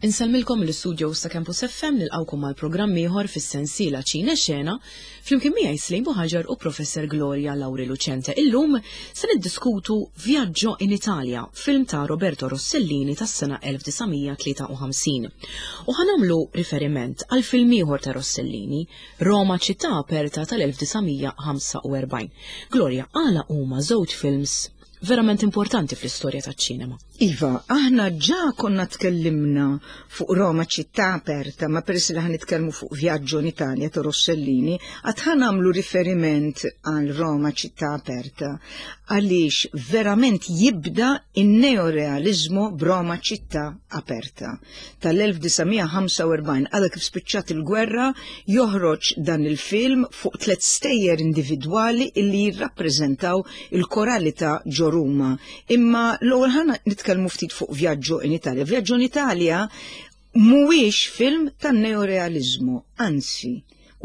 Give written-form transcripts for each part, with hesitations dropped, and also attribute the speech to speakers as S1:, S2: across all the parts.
S1: Insellmilkom mill-istudios ta' Campus FM nilqgħukom għal programm ieħor fis-sensiela Ċine Xena flimkien miegħi Slim Buħaġar u Professor Gloria Lauri Lucente. Illum se niddiskutu Viaggio in Italia, film ta' Roberto Rossellini tas-sena 1953. U ħanamlu riferiment għal film ieħor ta' Rossellini, Roma ċittà aperta tal-1945. Gloria, għala huma żewġ films verament importanti fl-istorja taċ-ċinema.
S2: Iva, aħna ġa konna tkellimna fuq Roma ċittà aperta, ma peress li ħan nitkellmu fuq Viaggio in Italia ta' Rossellini, għad ħan għamlu riferiment għal Roma ċittà aperta, għaliex verament jibda in-neorealizmu b'Roma ċittà aperta. Tal-1945, għadha kif spiċċat il-gwerra, joħroġ dan il-film fuq tlet stejjer individwali illi jirrappreżentaw il-koralità ġo Ruma. Imma l-ewwel ħana nitkellmu ftit fuq Vjaġġo in Italia. Vjaġġo in Italia mhuwiex film tan-neorealiżmu, anzi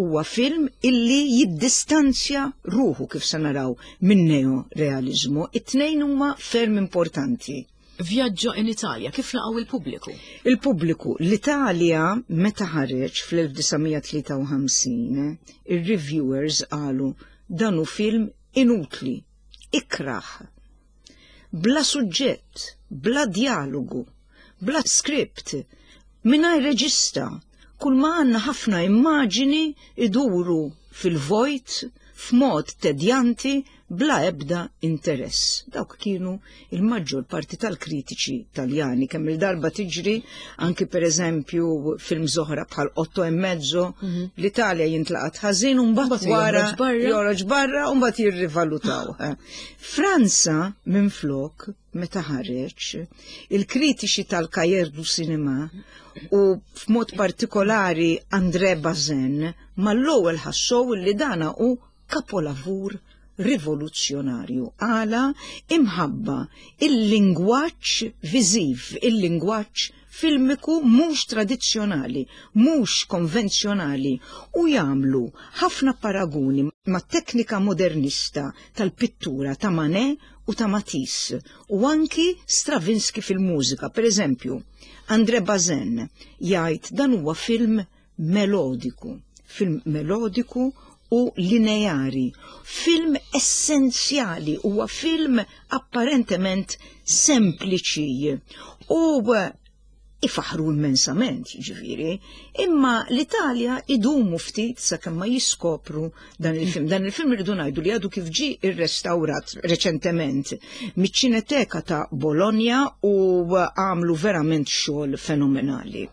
S2: huwa film illi jiddistanzja ruħu kif se naraw minn neorealiżmu. It-tnejn huma ferm importanti.
S1: Vjaġġo in Italia, kif laqgħu il-pubbliku?
S2: Il-pubbliku, l-Italja meta ħareġ fl-1953, ir-reviewers qalu dan hu film inutli, ikrah, bla suġġett, bla djalogu, bla skript, mingħajr reġista, kull ma għandna ħafna immaġini iduru fil-vojt f'mod tedjanti bla ebda interess. Dawk kienu il-maġġor parti tal-kritiċi Taljani kemm il-darba tiġri anki per eżempju film oħra bħal Otto e mezzo mhm. l-Italja jintlaqat ħażin u mbagħad wara joħroġ barra u mbagħad jirrivalutaw. Eh. Franza minflok meta ħareġ il-kritiċi tal-Cahiers du Cinema u f'mod partikolari André Bazin mal-ewwel ħassow li dana hu kapolavur rivoluzzjonarju għala imħabba il-lingwaġġ viżiv, il-lingwaġġ filmiku mhux tradizzjonali, mhux konvenzjonali u jagħmlu ħafna paraguni ma' teknika modernista tal-pittura ta' Manet u ta' Matisse u anki Stravinsky fil-mużika. Per eżempju, André Bazin jgħid dan huwa film melodiku, film melodiku u lineari, film essenzjali, huwa film apparentement sempliċi u ifaħru immensament, ġifiri, imma l-Italja idumu ftit sakemm ma jiskopru dan il-film. Dan il-film irridu ngħidu li għadu kif ġi irrestawrat reċentement miċ-Ċineteka ta' Bologna u għamlu verament xogħol fenomenali.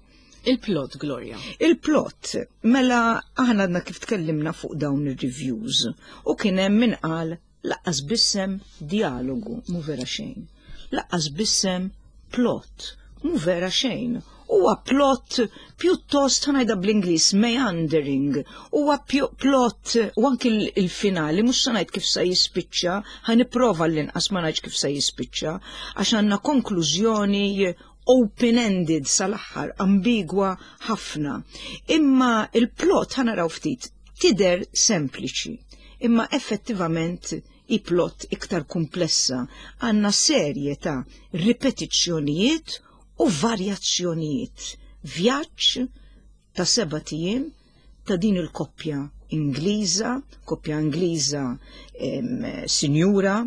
S1: Il-plot, Gloria.
S2: Il-plot, mela aħna għadna kif tkellimna fuq dawn ir-reviews u kien hemm min qal laqqas bissem dialogu mu vera xejn. Laqqas bissem plot mu vera xejn. Huwa plot pjuttost ħanajda bl-Ingliż meandering. Huwa plot u anki il-finali mhux se ngħid kif se jispiċċa, ħanipprova l-inqas ma ngħidx kif se jispiċċa għax għandna konklużjoni open-ended sal-aħħar, ambigwa ħafna. Imma il-plot ħanaraw ftit tidher sempliċi, imma effettivament i plot iktar komplessa. Għandna serje ta' ripetizzjonijiet u varjazzjonijiet. Vjaġġ ta' seba' ijiem ta' din il-koppja Ingliża, koppja Ingliża sinjura,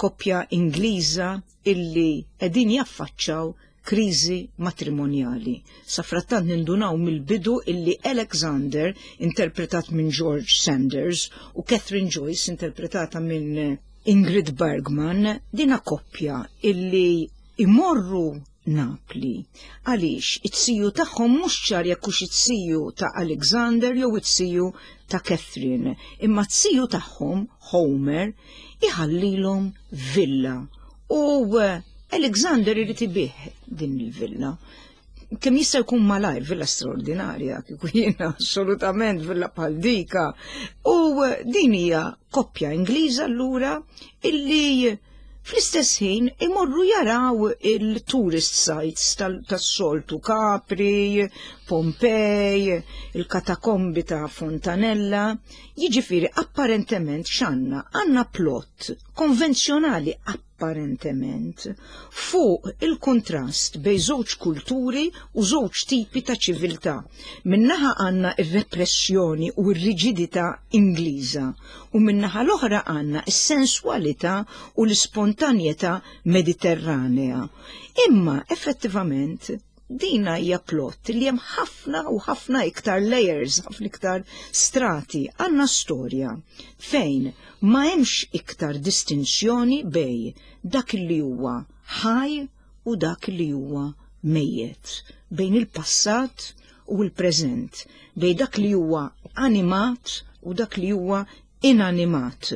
S2: koppja Ingliża illi qegħdin jaffaċċaw kriżi matrimonjali. Safrattant nindunaw mill-bidu illi Alexander, interpretat minn George Sanders, u Catherine Joyce, interpretata minn Ingrid Bergman, dina koppja illi imorru Napli. Għaliex it-siju tagħhom mhux ċar jekk hux it-siju ta' Alexander jew it-siju ta' Catherine, imma t-siju tagħhom, Homer, iħallilhom villa. U eh, Alexander irid ibih din il-villa. Kemm jista' jkun malajr, villa straordinarja, kieku jiena assolutament villa bħal dika. U eh, din hija koppja Ingliża allura illi fl-istess ħin imorru jaraw il-tourist sites tas-soltu Capri, Pompej, il-katakombi ta' Fontanella, jiġifieri apparentement x'għandna? Għandna plot konvenzjonali. apparentement fuq il-kuntrast bejn żewġ kulturi u żewġ tipi ta' ċiviltà. Min-naħa għandna r-repressjoni u r-riġidità Ingliża u min-naħa l-oħra għandna s-senswalità u l-ispontanjetà Mediterranea. Imma effettivament dina hija plot li hemm ħafna u ħafna iktar layers, ħafna iktar strati. Għandna storja fejn ma hemmx iktar distinzjoni bejn dak li huwa ħaj u dak li huwa mejjet, bejn il-passat u l-preżent, bejn dak li huwa animat u dak li huwa inanimat.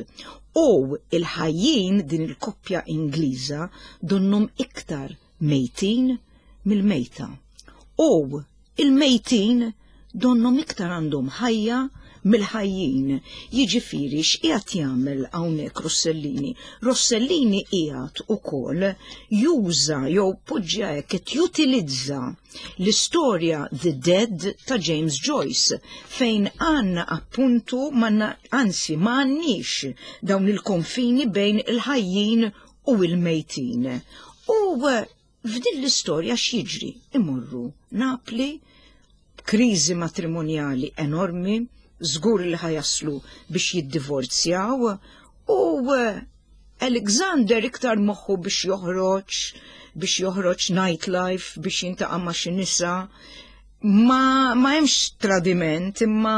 S2: U il-ħajjin din il-koppja Ingliża donnhom iktar mejtin mill-mejta. U il-mejtin donnhom iktar għandhom ħajja mill-ħajjin. Jiġifieri x'qiegħed jagħmel hawnhekk Rossellini? Rossellini qiegħed ukoll juża jew poġġja hekk qed jutilizza l-istorja The Dead ta' James Joyce fejn għandna appuntu manna anzi ma għandniex dawn il-konfini bejn il-ħajjin u l-mejtin. U f'din l-istorja x'jiġri? Imorru Napli, kriżi matrimonjali enormi, żgur li ħajaslu biex jiddivorzjaw u Alexander iktar moħħu biex joħroġ nightlife, biex jintaqa' ma' xi nisa. Ma, ma hemmx tradiment, imma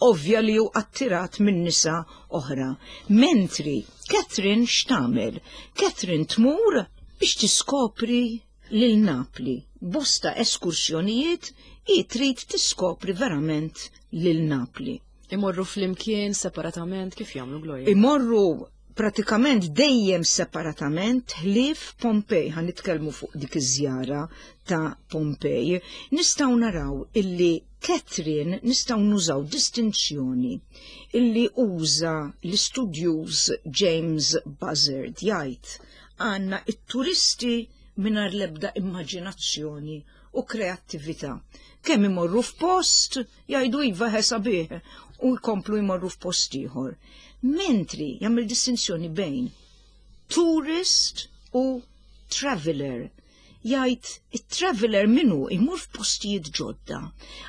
S2: ovvja li hu attirat minn nisa oħra. Mentri Catherine x'tagħmel? Catherine tmur biex tiskopri lil Napli. Bosta eskursjonijiet hi trid tiskopri verament lil Napli.
S1: Imorru flimkien separatament kif jagħmlu Gloria?
S2: Imorru pratikament dejjem separatament ħlief Pompej, ħa nitkellmu fuq dik iż-żjara ta' Pompej. Nistgħu naraw illi Catherine nistgħu nużaw distinzjoni illi uża l-istudjuż James Buzzard jgħid għandna it-turisti mingħajr l-ebda immaġinazzjoni u kreattività. Kemm imorru f'post jgħidu iva sabiħ u jkomplu jmorru f'post ieħor. Mentri jagħmel distinzjoni bejn tourist u traveler. Jgħid it-traveler minnu imur f'postijiet ġodda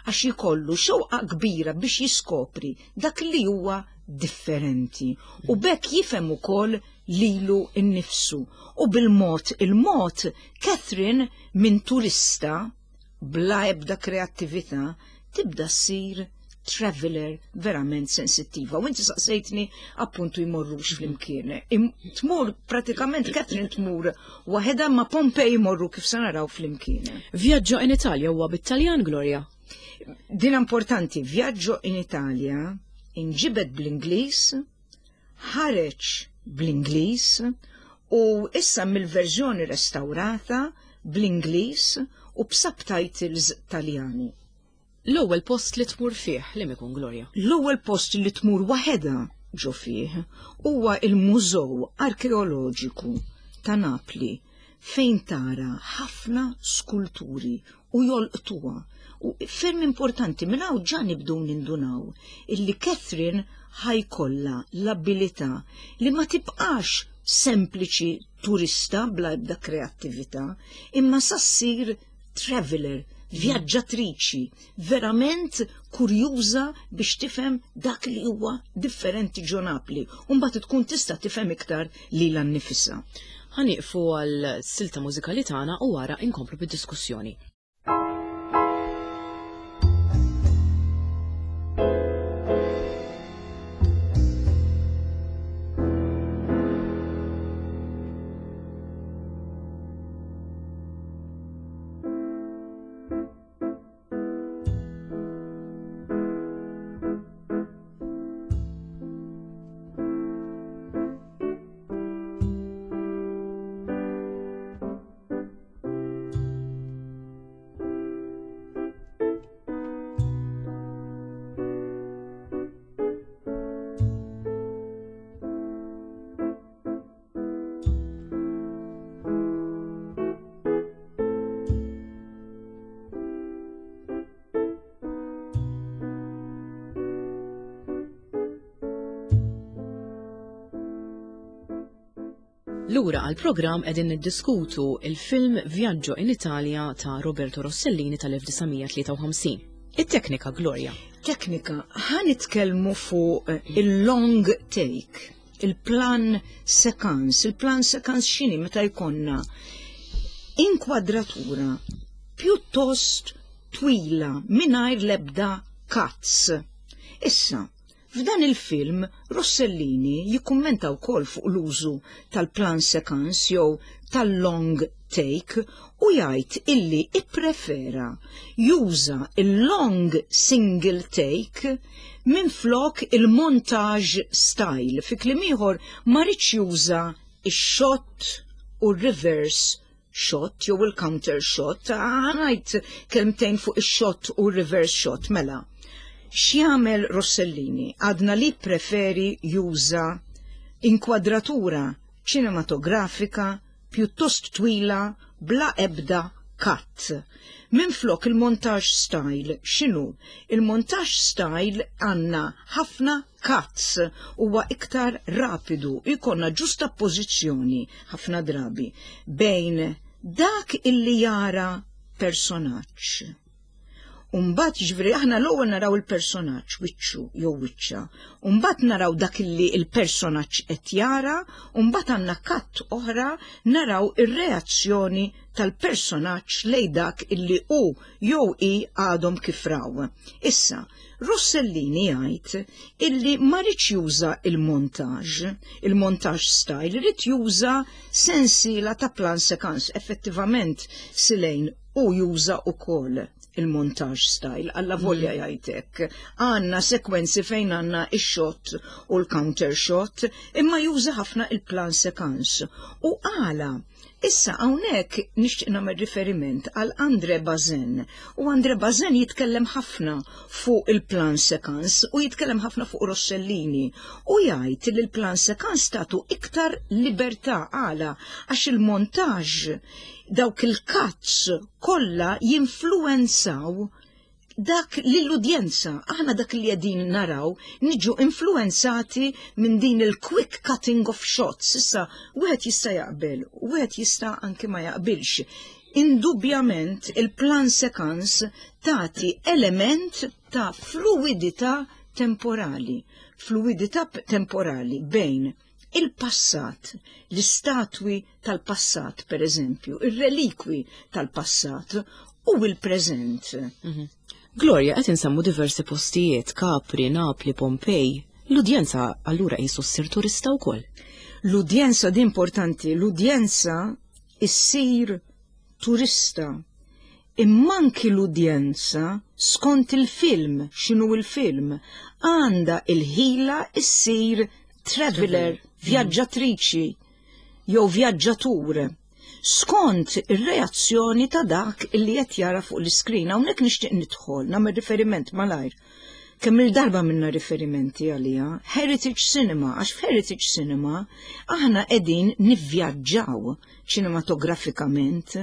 S2: għax jkollu xewqa kbira biex jiskopri dak li huwa differenti u bekk jifhem ukoll lilu nnifsu. U bil-mod il-mod Catherine minn turista bla ebda kreattività tibda ssir traveler verament sensittiva. U inti saqsejtni appuntu jmorrux flimkien. Tmur pratikament Catherine tmur waħedha ma Pompej jmorru kif se naraw flimkien.
S1: Viaggio in Italia huwa bit-Taljan, Gloria?
S2: Din importanti, Viaggio in Italia inġibed bl-Ingliż, ħareġ bl-Ingliż u issa mill-verżjoni restaurata bl-Ingliż u b'subtitles Taljani.
S1: L-ewwel post li tmur fih li ikun Gloria?
S2: L-ewwel post li tmur waħedha ġo fih huwa il-Mużew Arkeoloġiku ta' Napli fejn tara ħafna skulturi u jolqtuha. U ferm importanti minn hawn ġa nibdew nindunaw illi Catherine ħajkollha l-abilità li ma tibqax sempliċi turista bla ebda kreattività, imma sa ssir traveler, vjaġġatriċi, verament kurjuża biex tifhem dak li huwa differenti ġo Napli, u mbagħad tkun tista' tifhem iktar lilha nnifisha.
S1: Ħa nieqfu għal silta mużikali tagħna u wara inkomplu bid-diskussjoni. Lura għall-programm qegħdin niddiskutu il-film Viaggio in Italia ta' Roberto Rossellini tal-1953. It-teknika, Gloria.
S2: Teknika, ħa nitkellmu fuq il-long take, il-plan séquence. Il-plan séquence x'inhi? Meta jkollna inkwadratura pjuttost twila mingħajr l-ebda cuts. Issa, f'dan il-film Rossellini jikkummenta wkoll fuq l-użu tal-plan séquence jew tal-long take u jgħid illi ipprefera juża il-long single take minn flok il-montage style. Fi kliem ieħor, ma riedx juża ix-shot u reverse shot jew il-counter shot. Ħa ngħid kelmtejn fuq ix-shot u reverse shot mela. X'jagħmel Rossellini? Għadna li preferi juża inkwadratura ċinematografika pjuttost twila bla ebda cut. Minn flok il-montage style, x'inhu? Il-montage style għandna ħafna cuts, huwa iktar rapidu, jkollna ġustapożizzjoni ħafna drabi bejn dak illi jara personaġġ. Umbat ġifieri aħna l-ewwel naraw il-personaġġ wiċċu jew wiċċa. Umbat naraw dak illi il-personaġġ qed jara, umbat għandna cut oħra naraw ir-reazzjoni tal-personaġġ lej dak illi hu jew hi għadhom kif raw. Issa, Rossellini jgħid illi ma riedx juża il-montage, il-montage style, ried juża sensiela ta' plan séquence. Effettivament, Silejn u juża ukoll il-montage style, alla volja jgħidlek. Għandna sekwenzi fejn għandna il-shot u l-counter shot, imma juża ħafna il-plan séquence. U għala, issa hawnhekk nixtieq nagħmel riferiment għal André Bazin. U André Bazin jitkellem ħafna fuq il-plan séquence u jitkellem ħafna fuq Rossellini u jgħid li l-plan séquence tagħtu iktar libertà. Għala? Għax il-montage, dawk il-cuts kollha jinfluenzaw dak lill-udjenza. Aħna dak li qegħdin naraw niġu influenzati minn din il-quick cutting of shots. Issa, wieħed jista' jaqbel, wieħed jista' anke ma jaqbilx. Indubjament il-plan séquence tagħti element ta' fluidità temporali, fluidità temporali bejn il-passat, l-istatwi tal-passat, per eżempju, il-relikwi tal-passat u il-preżent.
S1: Gloria, qed insemmu diversi postijiet, Capri, Napli, Pompej. L-udjenza allura qisu ssir turista wkoll.
S2: L-udjenza di importanti, l-udjenza issir turista. Imma anki l-udjenza skont il-film, x'inhu il-film, għandha il-ħila issir traveler, vjaġġatriċi jew vjaġġatur skont ir-reazzjoni ta' dak li qed jara fuq l-iskrin. Hawnhekk nixtieq nidħol, nagħmel riferiment malajr. Kemm il-darba minna riferimenti għalija, Heritage Cinema, għax f'Heritage Cinema aħna qegħdin nivvjaġġaw ċinematografikament,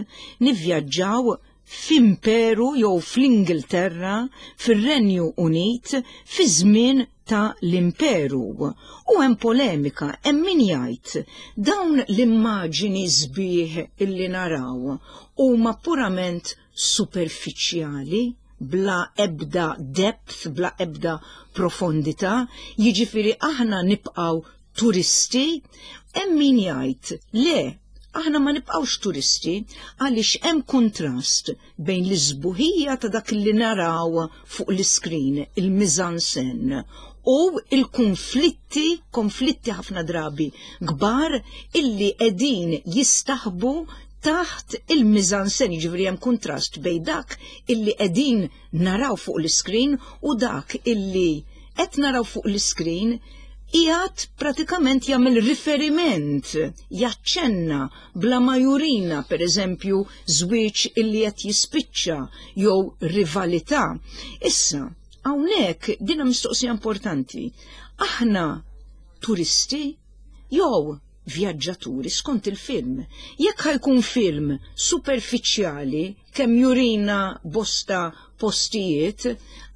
S2: nivvjaġġaw f'imperu jew fl-Ingilterra, fir-Renju Unit, fi żmien ta' l-imperu. U hemm polemika, hemm min jgħid dawn l-immaġini sbieħ illi naraw huma purament superfiċjali, bla ebda depth, bla ebda profondità, jiġifieri aħna nibqgħu turisti, hemm min jgħid le, aħna ma nibqgħux turisti għaliex hemm kontrast bejn l-isbuħija ta' dak li naraw fuq l-iskrin, il-mise-en-scène, u il-konflitti, konflitti ħafna drabi kbar illi qegħdin jistaħbu taħt il-mise-en-scène, ġifieri hemm kontrast bejn dak illi qegħdin naraw fuq l-iskrin u dak illi qed naraw fuq l-iskrin qiegħed pratikament jagħmel riferiment, jaċċenna bla ma jurina, per eżempju, żwieġ illi qed jispiċċa jew rivalità. Issa, hawnhekk dina mistoqsija importanti. Aħna turisti jew vjaġġaturi skont il-film? Jekk ħa jkun film superfiċjali kemm jurina bosta postijiet,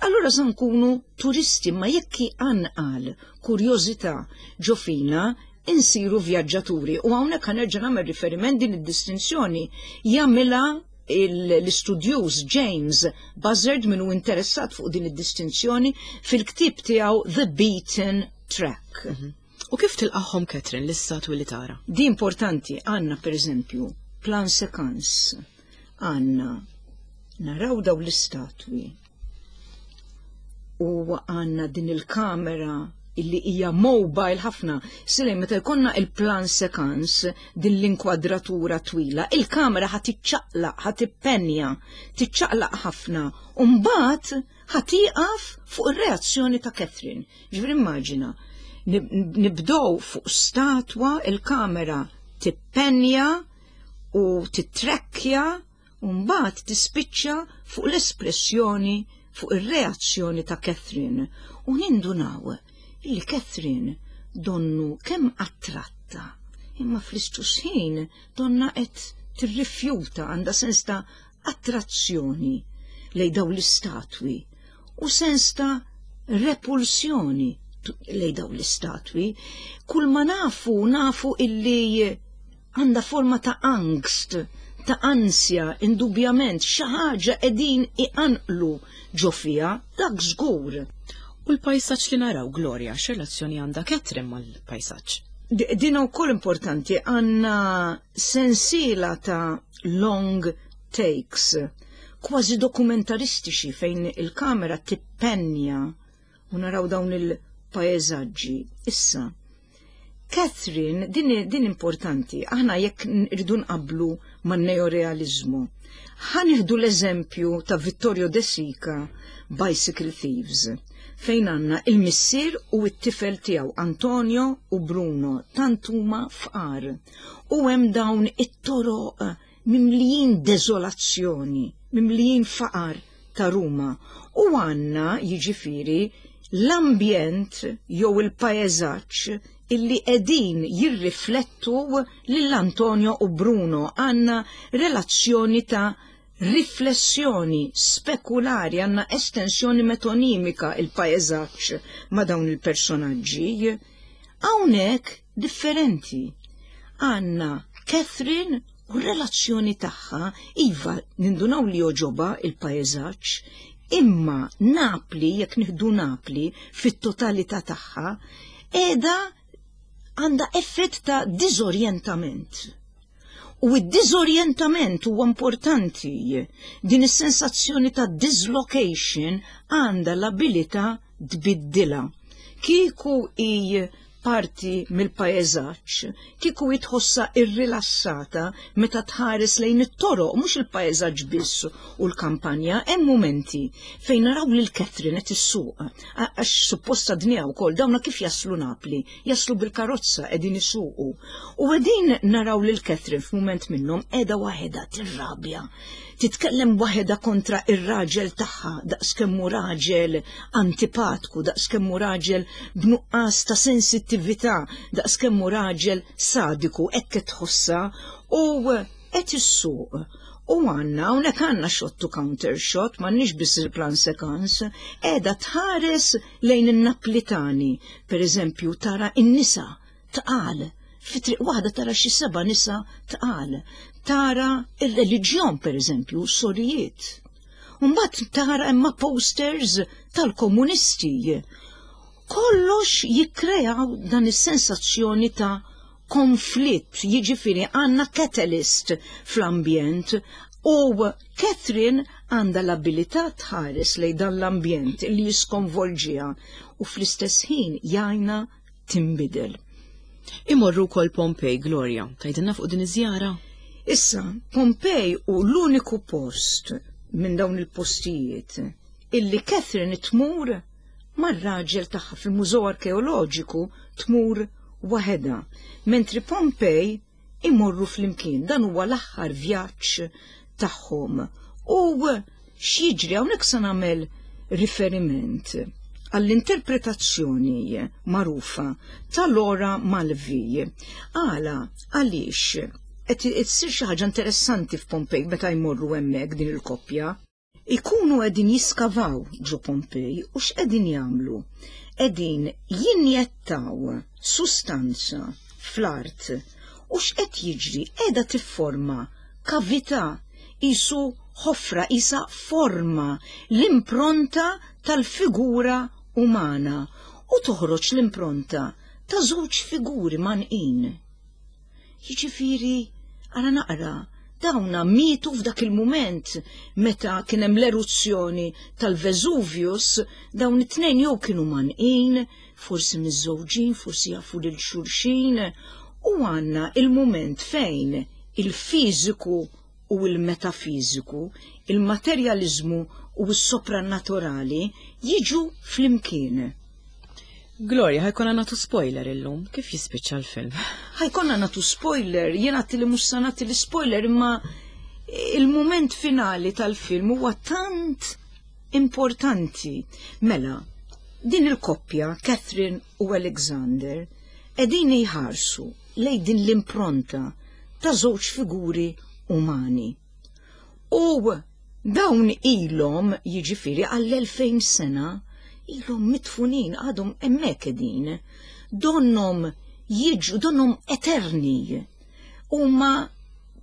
S2: allura se nkunu turisti, ma jekk anqal kurjożità ġo fina. insiru vjaġġaturi u hawnhekk ħa nerġa' nagħmel riferiment din id-distinzjoni jagħmilha l-istudjuż James Buzzard min hu interessat fuq din id-distinzjoni fil-ktieb tiegħu The Beaten Track.
S1: U kif tilqagħhom Catherine l-istatwi li tara?
S2: Di importanti għandna pereżempju plan séquence għandna naraw daw l-istatwi u għandna din il-kamera illi hija mobile ħafna. Silej, meta jkollna il-plan séquence din l-inkwadratura twila, il-kamera ħa tiċċaqlaq, ħa tippenja, tiċċaqlaq ħafna, u mbagħad ħa tieqaf fuq ir-reazzjoni ta' Catherine. Ġifieri immaġina, nibdow fuq statwa, il-kamera tippenja u titrekkja u mbagħad tispiċċa fuq l-espressjoni fuq ir-reazzjoni ta' Catherine u nindunaw li Catherine donnu kemm attratta imma fl-istess ħin donna qed tirrifjuta għandha sens ta' attrazzjoni lejn dawn l-istatwi u sens ta' repulsjoni lejn dawn l-istatwi. Kull ma nafu, nafu illi għandha forma ta' angst, ta' ansja, indubjament, xi ħaġa qegħdin iqanqlu ġo fiha, dak żgur.
S1: U l-pajsaġġ li naraw, Gloria, x'relazzjoni għandha Catherine mal-pajsaġġ?
S2: Din ukoll importanti, għandna sensiela ta' long takes, kważi dokumentaristiċi fejn il-kamera tippenja u naraw dawn il-pajsaġġi. Issa, Catherine, din, din importanti, aħna jekk rridu nqablu man-neorealizmu. Ħa nieħdu l-eżempju ta' Vittorio De Sica, Bicycle Thieves, fejn għandna il-missier u t-tifel tiegħu Antonio u Bruno, tant huma fqar. U hemm dawn it-toroq mimlijin deżolazzjoni, mimlijin faqar ta' Ruma. U għandna jiġifieri l-ambjent jew il-pajsaġġ illi qegħdin jirriflettu lil Antonio u Bruno għandna relazzjoni ta' riflessjoni spekulari, għandna estensjoni metonimika il-pajsaġġ ma' dawn il-personaġġi. Hawnhekk differenti. Għandna Catherine u r-relazzjoni tagħha, iva nindunaw li jogħġobha il-pajsaġġ, imma Napli, jekk nieħdu Napli fit-totalità tagħha, qiegħda għandha effett ta' diżorjentament. U id-diżorjentament huwa importanti. Din is-sensazzjoni ta' dislocation għandha l-abilità tbiddilha. Kieku i parti mill-pajsaġġ, kieku tħossha irrilassata meta tħares lejn it-toroq, mhux il-pajsaġġ biss u l-kampanja, hemm momenti fejn naraw lil Catherine qed issuq, għax supposta dnija wkoll dawna kif jaslu Napli, jaslu bil-karozza qegħdin isuqu. U qegħdin naraw lil Catherine f'mument minnhom qiegħda waħedha tirrabja. Titkellem waħedha kontra ir-raġel tagħha daqskemm hu raġel antipatku, daqskemm hu raġel b'nuqqas ta' sensittività, daqskemm hu raġel sadiku, hekk qed tħossha u qed issuq. U għandna, hawnhekk għandna shot to counter shot, m'għandniex biss il-plan séquence, qiegħda tħares lejn in-Naplitani, per eżempju tara in-nisa tqal, fi triq waħda tara xi seba' nisa tqal, tara ir-reliġjon per eżempju, sorijiet. Mbagħad tara imma posters tal-komunisti. Kollox jikkreaw dan is-sensazzjoni ta' konflitt, jiġifieri għandna catalyst fl-ambjent u Catherine għandha l-abilità tħares lejn dan l-ambjent li jiskonvolġiha u fl-istess ħin jgħinha tinbidel.
S1: Imorru wkoll Pompej, Gloria, tgħidilna fuq din iż-żjara?
S2: Issa, Pompej hu l-uniku post minn dawn il-postijiet illi Catherine tmur mar-raġel tagħha fil-Mużew Arkeoloġiku tmur waħedha, mentri Pompej imorru flimkien. Dan huwa l-aħħar vjaġġ tagħhom. U x'jiġri hawnhekk se nagħmel riferiment għall-interpretazzjoni magħrufa ta' Laura Mulvey. Għala, għaliex qed issir xi ħaġa interessanti f'Pompej meta jmorru hemmhekk din il-koppja. Ikunu qegħdin jiskavaw ġo Pompej u x'qegħdin jagħmlu? Qegħdin jinjettaw sustanza fl-art. U x'qed jiġri? Qiegħda tifforma kavità, qisu ħofra, qisha forma, l-impronta tal-figura umana u toħroġ l-impronta ta' żewġ figuri mgħannqin. Jiġifieri, ara naqra, dawna mietu f'dak il-mument meta kien hemm l-eruzzjoni tal-Vesuvius, dawn it-tnejn jew kienu mgħannqin, forsi miżżewġin, forsi jafu lil xulxin, u għandna il-mument fejn il-fiżiku u l-metafiżiku, il-materjaliżmu u s-soprannaturali jiġu flimkien.
S1: Gloria, ħajkonna nagħtu spoiler illum, kif jispiċċa l-film?
S2: Ħajkonna nagħtu spoiler, jien għatti li mhux se nagħti l-spoiler imma il-mument finali tal-film huwa tant importanti. Mela, din il-koppja, Catherine u Alexander, qegħdin jħarsu lejn din l-impronta ta' żewġ figuri umani. U dawn ilhom jiġifieri għall-2000 sena ilhom mitfunin għadhom hemmhekk qegħdin. Donhom jiġu, donhom eterni. Huma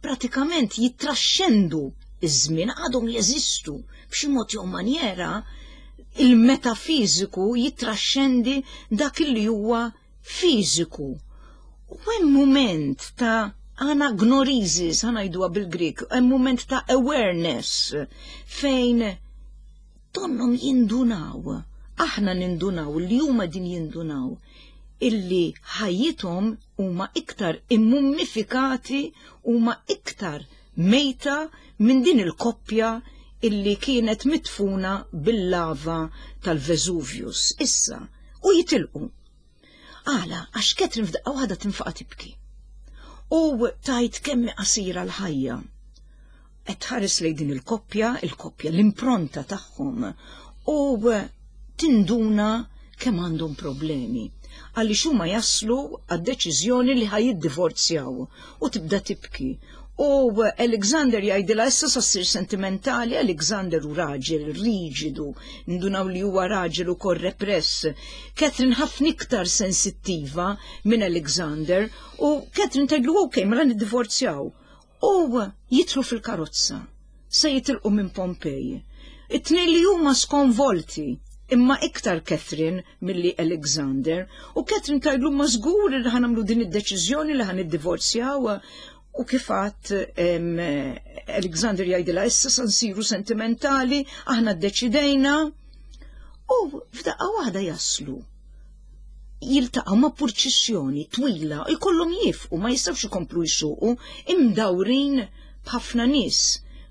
S2: pratikament jittraxxendu iż-żmien, għadhom jeżistu b'xi mod jew manjera il-metafiżiku jittraxxendi dak li huwa fiżiku. U hemm mument ta' anagnorisis, ħa ngħiduha bil-Grik, hemm mument ta' awareness fejn donhom jindunaw, aħna nindunaw, li huma din jindunaw, illi ħajjithom huma iktar immummifikati, huma iktar mejta minn din il-koppja illi kienet mitfuna bil-lava tal-Vesuvius. Issa, u jitilqu. Għala, għax Catherine f'daqqa waħda tinfaqa tibki. U tajt kemm qasira l-ħajja. Qed tħares lejn din il-koppja, il-koppja, l-impronta tagħhom, u tinduna kemm għandhom problemi. Għaliex huma jaslu għad-deċiżjoni li ħa jiddivorzjaw u tibda tibki. U Alexander jgħidilha issa sa ssir sentimentali, Alexander hu raġel riġidu, ndunaw li huwa raġel ukoll repress. Catherine ħafna iktar sensittiva minn Alexander u Catherine tgħidlu ok, mela niddivorzjaw. U jidħlu fil-karozza, se jitilqu minn Pompej. It-tnejn li huma skonvolti, imma iktar Catherine milli Alexander, u Catherine tgħidlu ma żgur li ħa nagħmlu din id-deċiżjoni li ħa niddivorzjaw. U kif għadt Alexander jgħidilha issa sa nsiru sentimentali, aħna ddeċidejna. U f'daqqa waħda jaslu jiltaqgħu ma' purċissjoni twila, jkollhom jifqu, ma jistgħux ikomplu jsuqu, imdawrin b'ħafna nies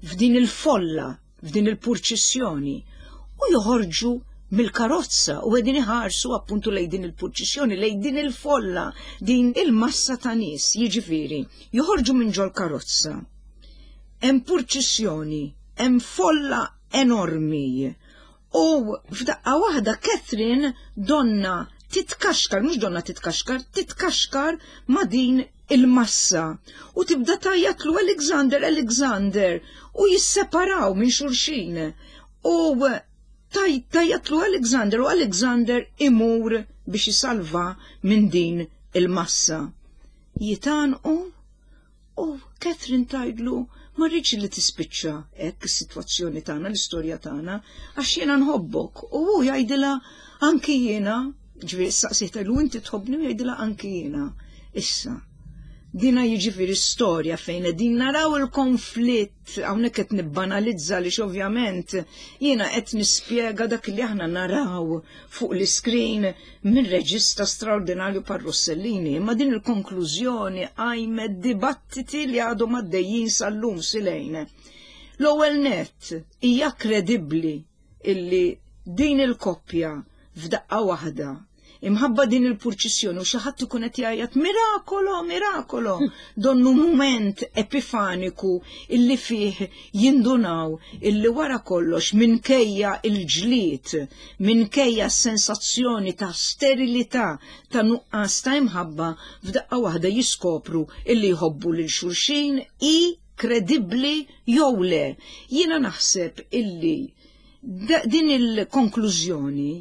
S2: f'din il-folla, f'din il-purċissjoni, u joħorġu mill-karozza u qegħdin iħarsu appuntu lejn din il-purċissjoni, lejn din il-folla, din il-massa ta' nies, jiġifieri, joħorġu minn ġol-karozza. Hemm purċissjoni, hemm folla enormi. U f'daqqa waħda Catherine donna titkaxkar, mhux donna titkaxkar, titkaxkar ma' din il-massa. U tibda tgħajjatlu Alexander, Alexander, u jisseparaw minn xulxin. U tgħajjatlu Alexander u Alexander imur biex isalva minn din il-massa. Jitgħannqu U Catherine tgħidlu ma rridx li tispiċċa hekk is-sitwazzjoni tagħna, l-istorja tagħna, għax jiena nħobbok. U hu jgħidilha anki jiena, ġifieri saqsih tgħidlu inti tħobbni u jgħidilha anki jiena. Issa, dina jiġifieri storja fejn qegħdin naraw il-konflitt hawnhekk qed nibbanalizza li ovvjament jiena qed nispjega dak li aħna naraw fuq l-iskrin minn reġista straordinarju par Rossellini, imma din il-konklużjoni qajmet dibattiti li għadhom għaddejjin sal-lum silejn. L-ewwel nett hija kredibbli illi din il-koppja f'daqqa waħda imħabba din il-purċissjoni u xi ħadd ikun qed jgħajjat mirakolo, mirakolo, donnu mument epifaniku illi fih jindunaw illi wara kollox minkejja il-ġlied, minkejja s-sensazzjoni ta' sterilità, ta' nuqqas ta' imħabba, f'daqqa waħda jiskopru illi jħobbu lil xulxin hi kredibbli jew le. Jiena naħseb illi din il-konklużjoni.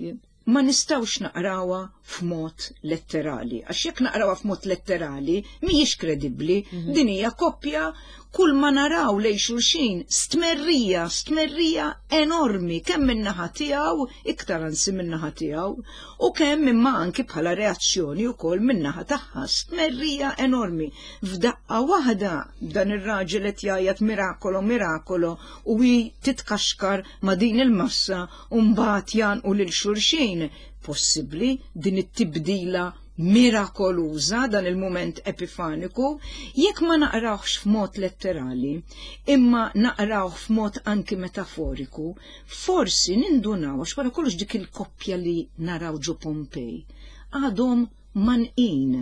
S2: Ma nistgħux naqrawha f'mod letterali. Għax jekk naqrawha f'mod letterali, mhijiex kredibbli. Din hija koppja kull ma naraw lejn xulxin stmerrija, stmerrija enormi, kemm min-naħa tiegħu, iktar anzi min-naħa tiegħu, u kemm imma anki bħala reazzjoni wkoll min-naħa tagħha, stmerrija enormi. F'daqqa waħda dan ir-raġel qed jgħajjat "Miracolo, miracolo" u hi titkaxkar ma' din il-massa u mbagħad jgħannqu lil xulxin. Possibbli din it-tibdila mirakoluża, dan il-mument epifaniku, jekk ma naqrawhx f'mod letterali, imma naqrawh f'mod anki metaforiku, forsi nindunaw għax wara kollox dik il-koppja li naraw ġo Pompej għadhom mgħannqin.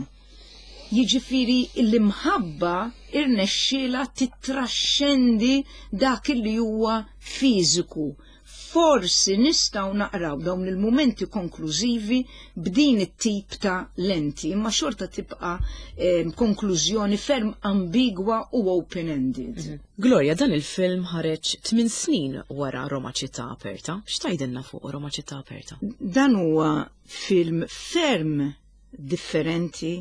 S2: Jiġifieri l-imħabba irnexxielha tittraxxendi dak li huwa fiżiku. Forsi nistgħu naqraw dawn il-mumenti konklużivi b'din it-tip ta' lenti, imma xorta tibqa' konklużjoni ferm ambigwa u open-ended.
S1: Gloria, dan il-film ħareġ 8 snin wara Roma Città Aperta. X'tgħidilna fuq Roma Città Aperta?
S2: Dan huwa film ferm differenti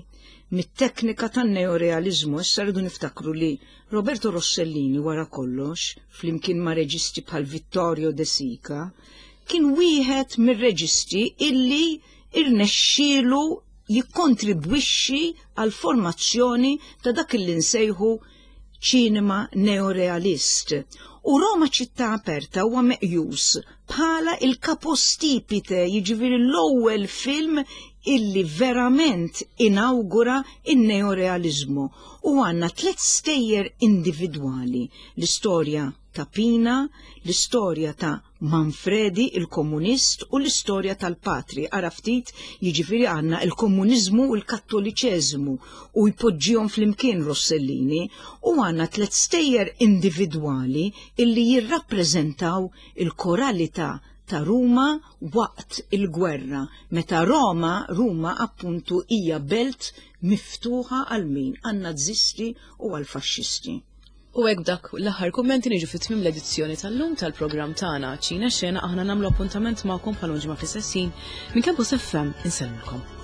S2: mit-teknika tan-neorealizmu. Issa rridu niftakru li Roberto Rossellini wara kollox, flimkien ma' reġisti bħal Vittorio De Sica, kien wieħed mir-reġisti illi irnexxielu jikkontribwixxi għal formazzjoni ta' dak illi nsejħu ċinema neorealist. U Roma Ċittà Aperta huwa meqjus bħala il-capostipite, jiġifieri l-ewwel film illi verament inawgura in-neorealizmu. U għandna tliet stejjer individwali: l-istorja ta' Pina, l-istorja ta' Manfredi il-komunist u l-istorja tal-patri. Ara ftit, jiġifieri għandna il-komuniżmu u l-kattoliċeżmu u jpoġġihom flimkien Rossellini, u għandna tliet stejjer individwali illi jirrappreżentaw il-koralità ta' Ruma waqt il-gwerra, meta Roma appuntu hija belt miftuħa għal min? Għan-Nazisti u għal faxxisti.
S1: U hekk dak l-aħħar kummenti niġu fit-tmiem l-edizzjoni tal-lum tal-programm tagħna Ċina Xena. Aħna nagħmlu appuntament magħkom bħal ġimgħa fl-istess ħin. Minn Campus FM insellmilkom.